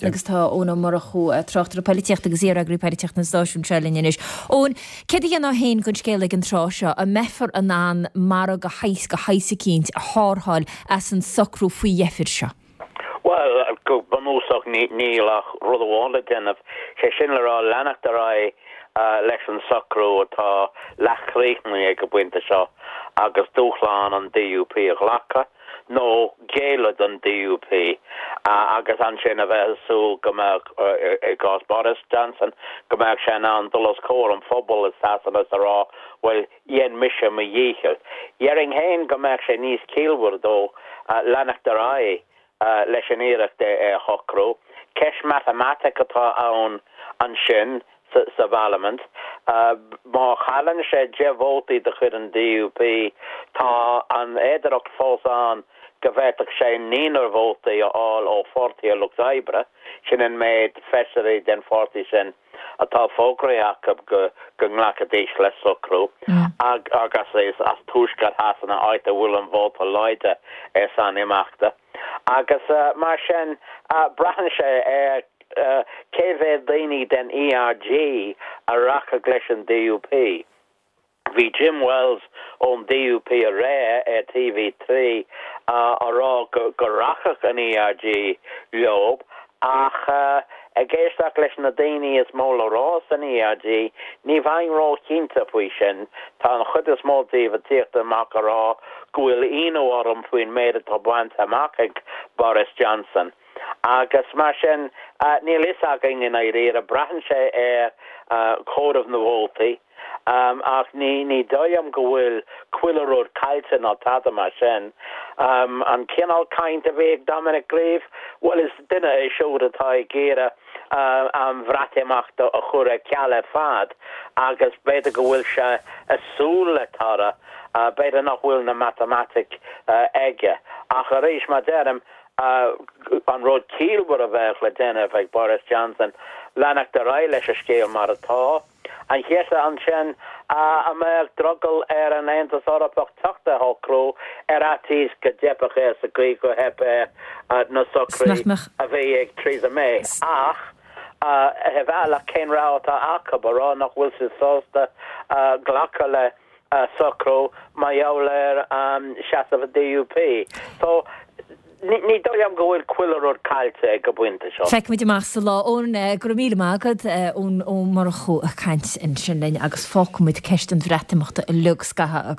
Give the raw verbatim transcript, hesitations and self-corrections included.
Trasna agus tá Eoin Ó Murchú, tráchtaire polaitíochta agus iar-eagraí polaitíochta an stáisiúin seo linn anois. Eoin, céard a dhéanfá féin den scéal ag an tráth seo, an mbeifear in ann margadh de shaghas eicínt a thárrtháil as an socrú faoi dheifir seo? Well, go bunúsach níl ach rud amháin le déanamh, sé sin le rá leanacht ar aghaidh leis an socrú atá leathchríochnaithe ag an bpointe seo agus dúshlán an D U P a ghlacadh nó géilleadh don D U P agus ansin a bheith ag súil go mbeadh, i gcás Boris Johnson, go mbeadh sé in ann dul os comhair an phobail i Sasana is a rá, bhuel, dhein mise mo dhícheall. Dhéarfainn féin go mbeadh sé níos ciallmhaire dó leanacht ar aghaidh leis an iarracht é a shocrú. Ceist matamaitic atá ann ansin sa bparlaimint. Má chailleann sé deich vótaí de chuid an D U P, tá an fhéidearthacht fós ann go bhféadfadh sé naonúr vótaí a fháil ó Pháirtí an Lucht Oibre, sin an méid feisirí den pháirtí sin atá fógraithe acu go go nglacfaidís le socrú, agus is as tuaisceart Shasana, áit a bhfuil an vóta láidir ar son imeachta. Agus mar sin, braitheann sé ar cé mhéad daoine den E R G a rachadh leis an D U P. Bhí Jim Wells ón D U P aréir ar T V trí á rá go rachadh an E R G leo, ach ag éisteacht leis na daoine is mó le rá san E R G, ní bheinn róchinnte faoi sin. Tá an chuid is mó díobh ag tíocht amach a rá go bhfuil ionadh orm faoin méid atá bainte amach ag Boris Johnson. Agus mar sin, níl fhios againn i ndáiríre, braitheann sé ar chomhaireamh na vótaí, ach ní ní dóigh liom go bhfuil chuile rud caillte ná tada mar sin. An cineál caint a bhí ag Dominic Grieve, bhuel, is duine é siúd atá ag iarraidh an Bhreatimeacht a chur ar ceal ar fad agus b'fhéidir go bhfuil sé ag súil le toradh, b'fhéidir nach bhfuil na matamaitic aige. Ach arís, mar deirim, an rud ciallmhar a bheadh le déanamh ag Boris Johnson, leanacht ar aghaidh leis an scéal mar atá. An cheist ansin, an mbeadh drogall ar an Aontas Eorpach teacht ar shocrú ar fhaitíos go dteipfeadh air sa gcaoi gur theip air na socruithe a bhí ag Theresa May? Ach ar bhealach, cén rogha atá acu, a rá nach bhfuil siad sásta glacadh le socrú mar gheall ar seasamh an D U P? So ní dóigh liom go bhfuil chuile rud caillte ag an bpointe seo. Feicfimid amach sa lá. Eoin, go raibh míle maith agat, Eoin Ó Murchú ag caint ansin linn agus fágfaimid ceist an Bhreatimeachta uilig scaitheamh.